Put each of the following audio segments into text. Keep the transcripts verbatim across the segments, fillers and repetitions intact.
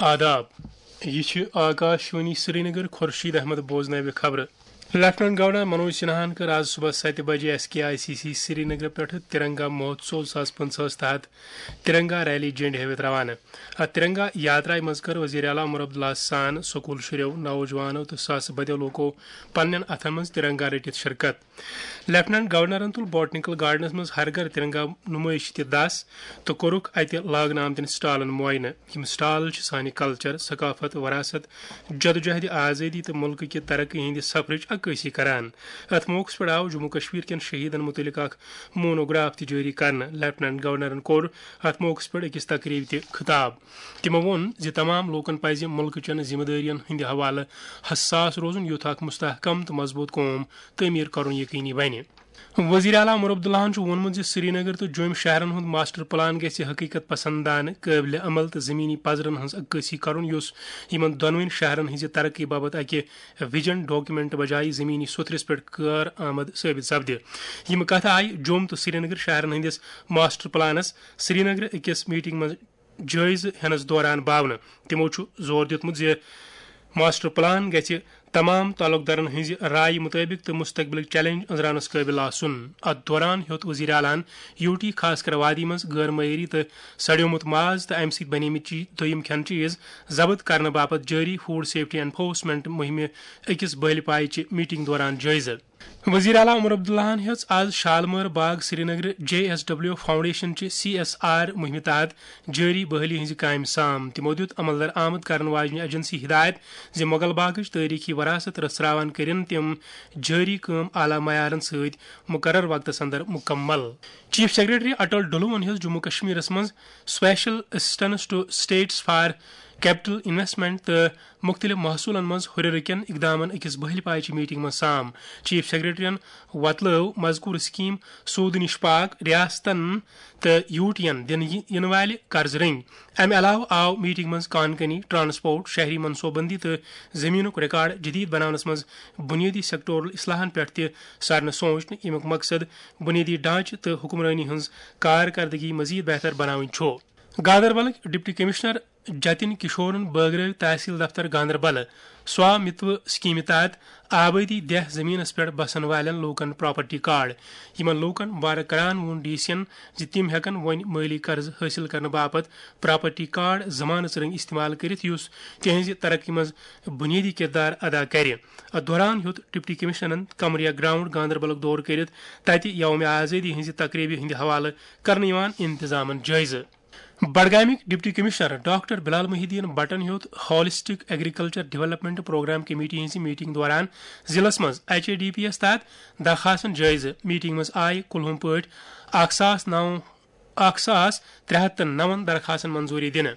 آداب۔ یہِ چھِ آکاش وانی سرینگر۔ خورشید احمد بوزناوِ خبرٕ۔ لیفٹیننٹ گورنر منوج سنہاہن کٔر آز صبح ستہِ بجہِ S K I C C Srinagar پٮ۪ٹھٕ ترنگا مہوتسو زٕ ساس پٕنٛژٕہس تحت ترنگا ریلی جنڈ ہٲوِتھ روانہٕ۔ اتھ ترنگا یاترایہِ منٛز کٔر وزیر اعلیٰ عمر عبداللہ سان سکول شُرٮ۪و، نوجوانو تہٕ ساسہٕ بٔدیو لوٗکو پننٮ۪ن اتھن منٛز ترنگا رٔٹِتھ شرکت۔ لیفٹیننٹ گورنرن تُل بوٹنیکل گارڈنس منٛز ہر گھر ترنگا نُمٲیشہِ تہِ دس تہٕ کوٚرُکھ اتہِ لاگنہٕ آمتٮ۪ن سٹالن معاینہٕ۔ یِم سٹال چھِ سانہِ کلچر، ثقافت، وراثت، جدوجہد آزٲدی تہٕ مُلکہٕ کہِ ترقی ہٕنٛدِ سفرٕچ عکٲسی کران۔ اتھ موقعس پٮ۪ٹھ آو جموں کشمیر کٮ۪ن شہیدن مُتعلق اکھ مونوگراف تہِ جٲری کرنہٕ۔ لیفٹیننٹ گورنرن کوٚر اتھ موقعس پٮ۪ٹھ أکِس تقریبہِ تہِ خطاب۔ تِمو ووٚن زِ تمام لوٗکن پزِ مُلکہٕ چٮ۪ن ذمہٕ دٲرین ہٕنٛدِ حوالہٕ حساس روزُن، یُتھ اکھ مستحکم تہٕ مضبوٗط قوم تعمیٖر کرُن یقینی بنہِ۔ وزیر اعلیٰ عمر عبداللہن چھُ ووٚنمُت زِ سرینگر تہٕ جوٚمۍ شہرن ہُنٛد ماسٹر پلان گژھِ حقیقت پسندانہٕ، قٲبلِ عمل تہٕ زمینی پزرن ہٕنٛز عکٲسی کرُن، یُس یِمن دۄنوٕنی شہرن ہٕنٛزِ ترقی باپتھ اکہِ ویژن ڈاکیومنٹ بجایہِ زمینی سوٚتھرِس پٮ۪ٹھ کار آمد ثٲبت سپدِ۔ یِم کتھٕ آیہِ جوٚم تہٕ سرینگر شہرن ہٕنٛدِس ماسٹر پلانس سرینگر أکِس میٹنگ منٛز جٲیزٕ ہینس دوران باونہٕ۔ تِمو چھُ زور دیُتمُت زِ ماسٹر پلان گژھِ تمام تعلقدارن ہٕنٛزِ رایہِ مُطٲبِق تہٕ مستقبلٕکۍ چیلنج أنٛزراونس قٲبِل آسُن۔ اتھ دوران ہیوٚت وزیر اعلیٰ ہن یوٗٹی، خاص کر وادی منٛز غٲر معیٲری تہٕ سڑیومُت ماز تہٕ امہِ سۭتۍ بنیمٕتۍ چی-، دوٚیِم کھٮ۪ن چیز ضبط کرنہٕ باپتھ جٲری فوڈ سیفٹی انفورسمنٹ مُہِمہِ أکِس بٔلۍ پایہِ چہِ میٹنگ دوران جٲیزٕ۔ وزیر اعلیٰ عمر عبداللہن ہیٚژ آز شالمٲر باغ Srinagar J S W foundation چہِ سی ایس آر مُہِمہِ تحت جٲری بحٲلی ہٕنٛزِ کامہِ سام۔ تِمو دیُت عملدار آمد کرن واجنہِ ایجنسی ہدایت زِ مغل باغٕچ تٲریخی وراثت رژھراوان کٔرِن تِم جٲری کٲم اعلیٰ معیارن سۭتۍ مقرر وقتس اندر مکمل۔ چیف سیکرٹری اٹل ڈلوَن ہیٚژ جموں کشمیرس منٛز Special Assistance to States for Capital Investment تہٕ مُختٔلِف محصوٗلن منٛز ہُرٮ۪ر کٮ۪ن اقدامن أکِس بٔہلہِ پایہِ چہِ میٹنگ منٛز سام۔ چیف سیکرٹریَن وۄتلٲو مذکور سکیم سوٗدٕ نِش پاک ریاستن تہٕ یوٗٹین دِنہٕ یِنہٕ والہِ قرضہٕ رٔنگۍ۔ امہِ علاوٕ آو میٹنگ منٛز کان کنی، ٹرانسپورٹ، شہری منصوبہٕ بندی تہٕ زمینُک ریکارڈ جدید بناونس منٛز بنیٲدی سیکٹورل اصلاحن پٮ۪ٹھ تہِ سارنہٕ سوچنہٕ، ییٚمیُک مقصد بنیٲدی ڈھانچہٕ تہٕ حکمرٲنی ہٕنٛز کارکردگی مزید بہتر بناوٕنۍ چھُ۔ گاندربلٕکۍ ڈپٹی کمشنر جتن کشورن بٲگرٲوۍ تحصیل دفتر گاندربل سوا متوٕ سکیمہِ تحت آبٲدی دیہہ زمینس پٮ۪ٹھ بسن والٮ۪ن لوٗکن پراپرٹی کارڈ۔ یِمن لوٗکن مبارک کران ووٚن ڈی سی ین زِ تِم ہٮ۪کن وۄنۍ مٲلی قرضہٕ حٲصِل کرنہٕ باپتھ پراپرٹی کارڈ زمانس رٔنگۍ استعمال کٔرِتھ، یُس تِہنٛزِ ترقی منٛز بنیٲدی کردار ادا کرِ۔ اتھ دوران ہیوٚت ڈپٹی کمشنرن قمریا گراؤنڈ گاندربلُک دورٕ کٔرِتھ تتہِ یوم آزٲدی ہٕنٛزِ تقریبہِ ہٕنٛدِ حوالہٕ کرنہٕ یِوان انتظامن جٲیزٕ۔ بڈگامٕکۍ deputy commissioner doctor Bilal Mohi uddin بٹن ہیوٚت holistic agriculture development programme committee ہٕنٛزِ میٹنگ دوران ضلعس منٛز ایچ اے ڈی پی یس تحت درخاستن جٲیزٕ۔ میٹنگ منٛز آیہِ کُلہُم پٲٹھۍ اکھ ساس نو، اکھ ساس ترٛےٚ ہتھ تہٕ نَوَن درخاستن منظوٗری دِنہٕ۔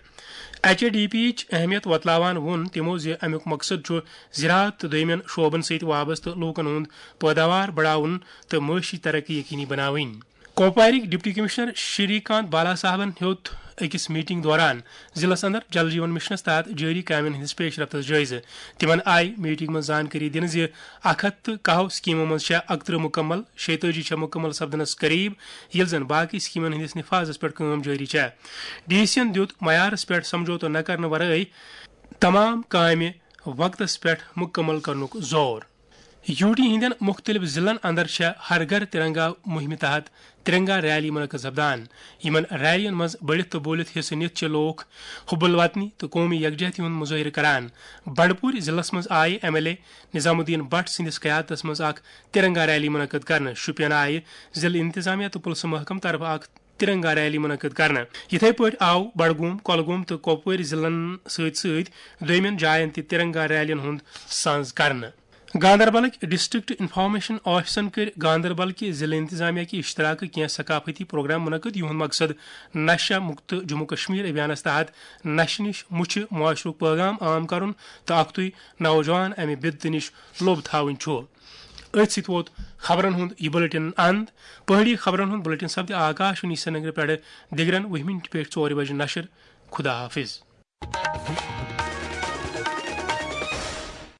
ایچ اے ڈی پی یِچ اہمیت وۄتلاوان ووٚن تِمو زِ امیُک مقصد چھُ زراعت تہٕ دوٚیمٮ۪ن شعبن سۭتۍ وابستہٕ لوٗکن ہُنٛد پٲداوار بڑاوُن تہٕ معاشی ترقی یقینی بناوٕنۍ۔ کوپوارٕکۍ ڈپٹی کمشنر شری کانت بالا صاحبن ہیوٚت أکِس میٹنگ دوران ضلعس اندر جل جیون مشنس تحت جٲری کامٮ۪ن ہٕنٛدِس پیش رفتس جٲیزٕ۔ تِمن آیہِ میٹنگ منٛز زانکٲری دِنہٕ زِ اکھ ہتھ تہٕ کاہو سکیمو منٛز چھےٚ اکترٕہ مکمل، شیٚیہِ تٲجی چھےٚ مکمل سپدنس قریب، ییٚلہِ زن باقٕے سکیمن ہٕنٛدِس نفاذس پٮ۪ٹھ کٲم جٲری چھےٚ۔ ڈی سی ین دیُت معیارس پٮ۪ٹھ سمجھوتہٕ نہ کرنہٕ ورٲے تمام کامہِ وقتس پٮ۪ٹھ مکمل کرنُک زور۔ یوٗ ٹی ہٕنٛدٮ۪ن مُختٔلِف ضلعن اندر چھےٚ ہر گھر ترنگا مُہِمہِ تحت ترنگا ریلی منعقد سپدان۔ یِمن ریلین منٛز بٔڑِتھ تہٕ بوٗلِتھ حصہٕ نِتھ چھِ لوٗکھ حب الوطنی تہٕ قومی یکجہتی ہُنٛد مظٲہرٕ کران۔ بنڈپوٗرۍ ضلعس منٛز آیہِ ایم ایل اے نظام الدین بٹ سٕنٛدِس قیادتس منٛز اکھ ترنگا ریلی منعقد کرنہٕ۔ شوپین آیہِ ضلعہٕ انتظامیہ تہٕ پُلسہٕ محکمہٕ طرفہٕ اکھ ترنگا ریلی منعقد کرنہٕ۔ یِتھے پٲٹھۍ آو بڈگوم، کۄلگوم تہٕ کۄپوٲرۍ ضلعن سۭتۍ سۭتۍ دوٚیمٮ۪ن جاین تہِ ترنگا ریلین ہُنٛد سانز کرنہٕ۔ گاندربلٕکۍ ڈسٹرکٹ انفارمیشن آفیسن کٔرۍ گاندربل کہِ ضلعہٕ انتظامیہ کہِ اشتراکہٕ کینٛہہ ثقافتی پروگرام منعقد، یِہُنٛد مقصد نشہ مکت جموں کشمیر ابھیانس تحت نشہٕ نِش مُچھِ معاشرُک پیغام عام کرُن تہٕ اکھتُے نوجوان امہِ بدتہٕ نِش لوٚب تھاوٕنۍ چھُ۔ أتھۍ سۭتۍ ووت خبرن ہُنٛد یہِ بُلٹن اند۔ پہٲڑی خبرن ہُنٛد بُلٹن سپدِ آکاش وانی سرینگرٕ پٮ۪ٹھٕ دِگرن وُہہِ مِنٹہِ پٮ۪ٹھ ژورِ بجہِ نشر۔ خدا حافظ۔